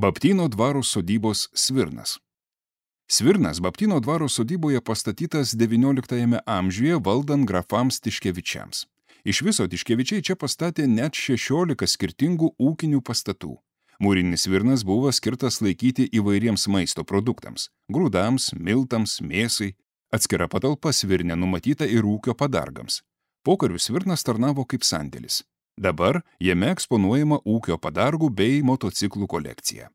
Baptyno dvaro sodybos Svirnas. Svirnas Baptyno dvaro sodyboje pastatytas XIX amžiuje valdant grafams Tiškevičiams. Iš viso Tiškevičiai čia pastatė net 16 skirtingų ūkinių pastatų. Mūrinis Svirnas buvo skirtas laikyti įvairiems maisto produktams – grūdams, miltams, mėsai. Atskira patalpa Svirne numatyta ir ūkio padargams. Pokariu Svirnas tarnavo kaip sandėlis. Dabar jame eksponuojama ūkio padargų bei motociklų kolekcija.